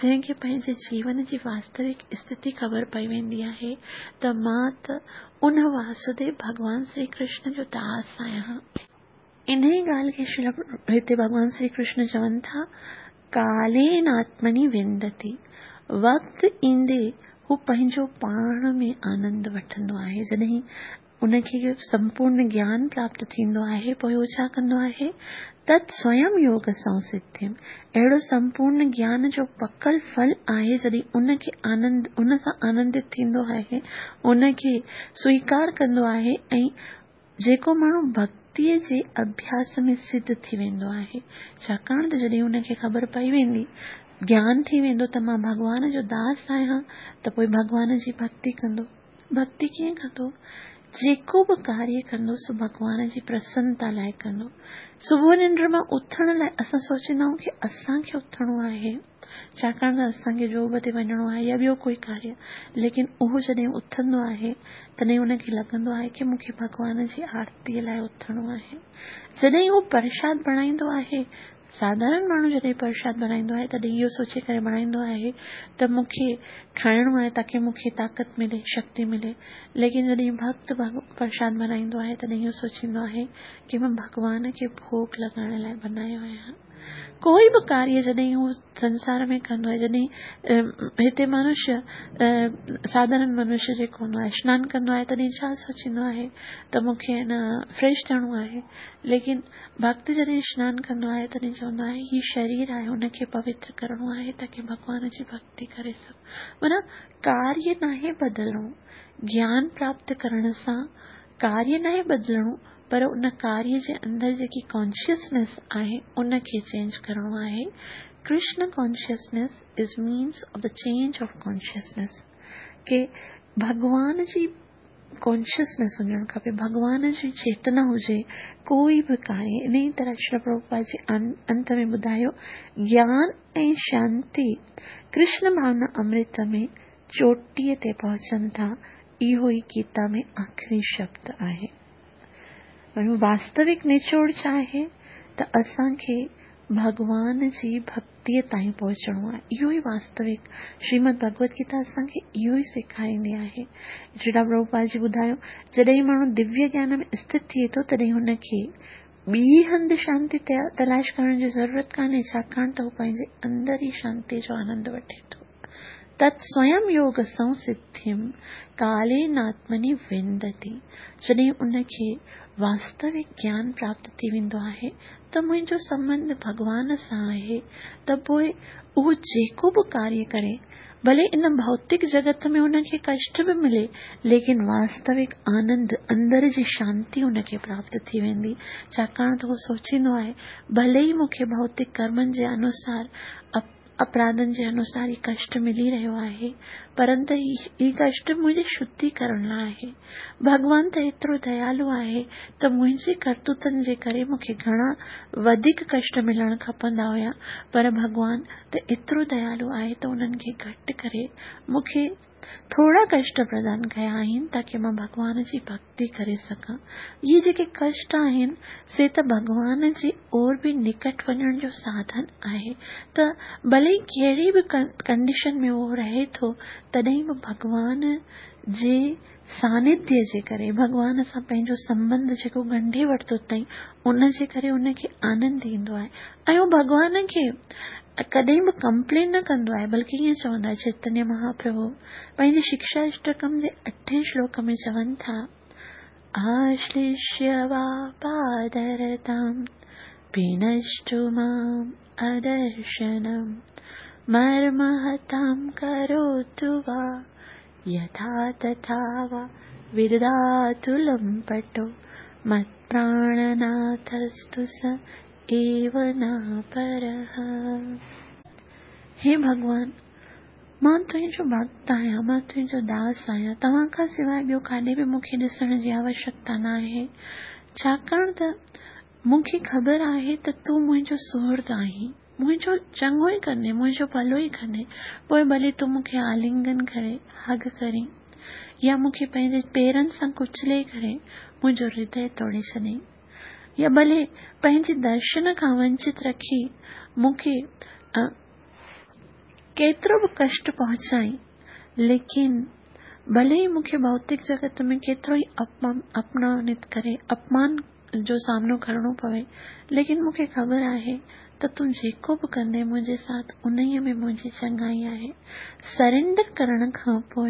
जंहिंखे पंहिंजे जीवन जी वास्तविक स्थिति ख़बर पई वेंदी आहे त मां त उन वासुदेव भॻवान श्री कृष्ण जो दास आहियां। इन ई ॻाल्हि खे हिते भॻवान श्री कृष्ण चवनि था, कालेन आत्मनि विन्दति। وقت ايندي هو پنهنجو پاڻ ۾ آنند وٺندو آهي. جڏهن ان کي سمپورن گيان پراپت ٿيندو آهي، پوء هو ڇا ڪندو آهي؟ تت سويم يوگ سنسڌيم، اهڙو سمپورن گيان جو پڪل ڦل آهي، جڏهن ان کي آنند، ان سان آنندت ٿيندو آهي، ان کي سويڪار ڪندو آهي ۽ جيڪو ماڻهو ڀڳتيء جي اڀياس ۾ سڌ ٿي ويندو آهي، ڇاڪاڻ ته جڏهن ان کي خبر پئي ويندي، گيان ٿي ويندو ته مان ڀڳوان جو داس آهيان، ته پوء ڀڳوان جي ڀڳتي ڪندو. ڀڳتي ڪيئن ڪندو؟ جيڪو به ڪاريه ڪندو سو ڀڳوان جي پرسنتا لاء ڪندو. صبح ننڊ مان اٿڻ لاء اسان سوچيندا آهيون ڪي اسان کي اٿڻو آهي، ڇاڪاڻ ته اسان کي جاب تي وڃڻو آهي يا ٻيو ڪوئي ڪاريه، ليڪن اهو جڏهن اٿندو آهي تڏهن ان کي لڳندو آهي ڪي مون کي ڀڳوان جي آرتيء لاء اٿڻو آهي. جڏهن هو پرشاد بڻائيندو آهي، ساڌارڻ ماڻهو جڏهن پرشاد بڻائيندو آهي تڏهن اهو سوچي ڪري بڻائيندو آهي ته مون کي کائڻو آهي تاڪي مون کي طاقت ملي، شڪتي ملي. ليڪن جڏهن ڀڳت پرشاد بڻائيندو آهي تڏهن اهو سوچيندو آهي ڪي مان ڀڳوان کي ڀوڳ لڳائڻ لاء بنايو آهيان. ڪوئي به ڪاريه جڏهن هو سنسار ۾ ڪندو آهي، جڏهن هتي منشيه، ساڌارڻ منشيه جيڪو هوندو آهي، اشنان ڪندو آهي تڏهن ڇا سوچيندو آهي ته مون کي نه فريش ٿيڻو آهي. ليڪن ڀڳت جڏهن اشنان ڪندو آهي تڏهن چوندو آهي هي شرير آهي ان کي پوتر ڪرڻو آهي تاڪي ڀڳوان جي ڀڳتي ڪري سگهون. معنيٰ ڪاريه ناهي بدلڻو، گيان پراپت ڪرڻ سان ڪاريه ناهي بدلڻو پر ان ڪاريه جي اندر جيڪي ڪانشسنيس آهي ان کي چينج ڪرڻو آهي. Krishna consciousness is means of the change of consciousness ڪي ڀڳوان جي ڪانشسنيس هجڻ کپي، ڀڳوان جي چيتنا هجي، ڪوئي به ڪاريه. انهيء طرح شريل پرڀوپاد جي انت ۾ ٻڌايو، گيان ۽ شانتي ڪرشن ڀاونا امرت ۾ چوٽيء تي پهچن ٿا، اهو ئي گيتا ۾ آخري شبد آهي. واستوڪ نچوڙ ڇا آهي ته اسان کي ڀڳوان جي ڀڳتيء تائين پهچڻو آهي. اهو ئي واستوڪ شريمد ڀڳوت گيتا اسان کي اهو ئي سيکاريندي آهي. شريلا پرڀوپاد جي ٻڌايو، جڏهن ماڻهو دويه گيان ۾ اسٿت ٿئي ٿو تڏهن هن کي ٻي هنڌ شانتي تلاش ڪرڻ جي ضرورت ڪانهي، ڇاڪاڻ ته هو پنهنجي اندر ئي شانتيء جو آنند وٺي ٿو. تت سويم يوگ سنسڌيم ڪاليناتمني وندتي، جڏهن ان کي واستوڪ گيان پراپت ٿي ويندو آهي ته منهنجو سنٻنڌ ڀڳوان سان آهي ته پوء اهو جيڪو به ڪاريه ڪري، ڀلي ان ڀوتڪ جڳت ۾ ان کي ڪشٽ به ملي، ليڪن واستوڪ آنند، اندر جي شانتي ان کي پراپت ٿي ويندي، ڇاڪاڻ ته هو سوچيندو آهي، ڀلي ئي مون کي ڀوتڪ ڪرمن جي انوسار اپراڌن جي انوسار هي ڪشٽ ملي رهيو آهي، پرنت هي ڪشٽ منهنجي شڌي ڪرڻ لاء آهي. ڀڳوان ته ايترو ديالو آهي ته منهنجي ڪرتوتن جي ڪري مون کي گهڻا وڌيڪ ڪشٽ ملڻ کپندا هيا، پر ڀڳوان ته ايترو ديالو آهي ته انهن کي گهٽ ڪري مون کي ٿورا ڪشٽ پردان ڪيا آهن تاڪه مان ڀڳوان جي ڀڳتي ڪري سگهان. اهي جيڪي ڪشٽ آهن سي ته ڀڳوان جي اور به نڪٽ وڃڻ جو ساڌن آهي ته ڀلي ڪهڙي به ڪنڊيشن ۾ اهو رهي ٿو تڏهن به ڀڳوان جي سانڌيه جي ڪري ڀڳوان سان پنهنجو سنٻنڌ جيڪو ڳنڍي ورتو اٿئي ان جي ڪري ان کي آنند ايندو آهي ۽ اهو ڀڳوان کي ڪڏهن به ڪمپلين نه ڪندو آهي بلڪه ائين چوندو آهي چيتنيه مهاپرڀو پنهنجي شڪشا اشٽڪم جي اٺين شلوڪ ۾ چون ٿا آشليشيه وا پادرتم پينشتو مام ادرشنم مرمهتم ڪروتو وا يٿا تٿا وا ودداتو لمپٽو متپراڻناٿستو س ايو ناپرهه. هي ڀڳوان! مان تنهنجو ڀڳت آهيان، مان تنهنجو داس آهيان، توهان کان سواء ٻيو ڪاڏي به مون کي ڏسڻ جي آوشڪتا ناهي، ڇاڪاڻ ته مون کي خبر آهي ته تون منهنجو سهرد آهين، منهنجو چڱو ئي ڪندين، منهنجو ڀلو ئي ڪندين، پوء ڀلي تون مون کي آلنگن ڪري، هگ ڪرين، يا مون کي پنهنجي پيرن سان ڪچلي ڪري منهنجو هردي توڙي ڇڏين. يا ڀلي پنهنجي درشن کان ونچت رکي مون کي ڪيترو به ڪشٽ پهچائين، ليڪن ڀلي ئي مون کي ڀوتڪ جڳت ۾ ڪيترو ئي اپمانت ڪري، اپمان جو سامنو ڪرڻو پوي، ليڪن مون کي خبر آهي ته تون جيڪو به ڪندين منهنجي ساٿ انهيء ۾ منهنجي چڱائي آهي. سرينڊر ڪرڻ کان پوء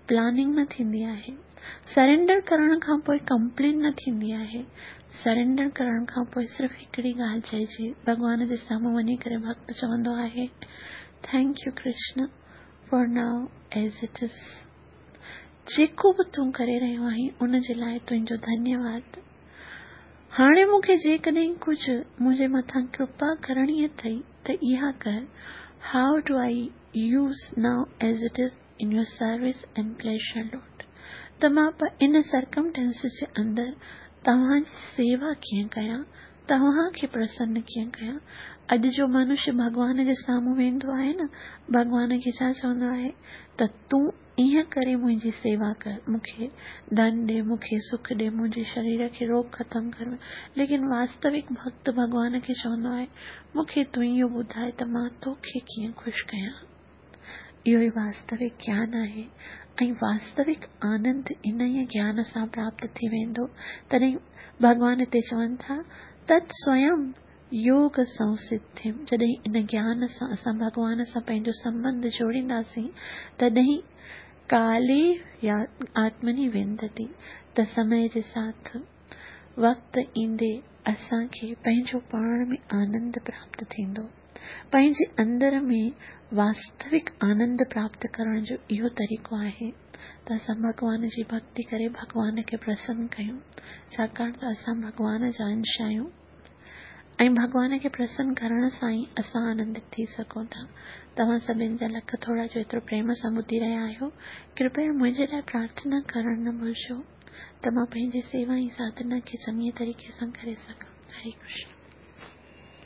پلاننگ نه ٿيندي آهي. سرينڊر ڪرڻ کان پوء ڪمپلين نه ٿيندي آهي. سرينڊر ڪرڻ کان پوء صرف هڪڙي ڳالهه چئجي، ڀڳوان جي سامهون وڃي ڪري ڀڳت چوندو آهي، thank you Krishna for now as it is. جيڪو به تون ڪري رهيو آهين ان جي لاء تنهنجو ڌنيواد. هاڻي مون کي جيڪڏهن ڪجهه منهنجي مٿان ڪرپا ڪرڻي اٿئي ته اها ڪر، how do I use now as it is in your service and pleasure Lord ته مان ان سرڪمٽينسز جي اندر توهان جي سيوا ڪيئن ڪيان، توهان کي پرسن ڪيئن ڪيان. اڄ جو منش ڀڳوان جي سامهون ويندو آهي نه، ڀڳوان کي ڇا چوندو آهي ته تون ائين ڪري منهنجي سيوا ڪر، مون کي ڌن ڏي، مون کي سک ڏي، منهنجي شرير کي روڳ ختم ڪر. ليڪن واستوڪ ڀڳت ڀڳوان کي چوندو آهي، مون کي تون اهو ٻڌاء ته مان توکي ڪيئن خوش ڪيان. اهو ئي واستوڪ گيان آهي ۽ واستوڪ آنند انهيء گيان سان پراپت ٿي ويندو. تڏهن ڀڳوان هتي چون ٿا، تت سويم يوگ سنسڌيم جڏهن ان گيان سان اسان ڀڳوان سان پنهنجو سنٻنڌ جوڙينداسين، تڏهن ڪالي يا آتمني وندتي ته سمي جي ساٿ وقت ايندي اسان کي پنهنجو پاڻ ۾ آنند پراپت ٿيندو. پنهنجي اندر ۾ واستوڪ آنند پراپت ڪرڻ جو اهو طريقو آهي ته اسان ڀڳوان جي ڀڳتي ڪري ڀڳوان کي پرسن ڪيون، ڇاڪاڻ ته اسان ڀڳوان جا انش آهيون ۽ ڀڳوان کي پرسن ڪرڻ سان ئي اسان آنندت ٿي سگهون ٿا. توهان سڀن جا لک ٿورا جو ايترو پريم سان ٻڌي رهيا آهيو. ڪرپيا منهنجي لاء پرارٿنا ڪرڻ نه ڀلجو ته مان پنهنجي سيوا ۽ ساڌنا کي چڱي طريقي سان ڪري سگهان. هري ڪرشن.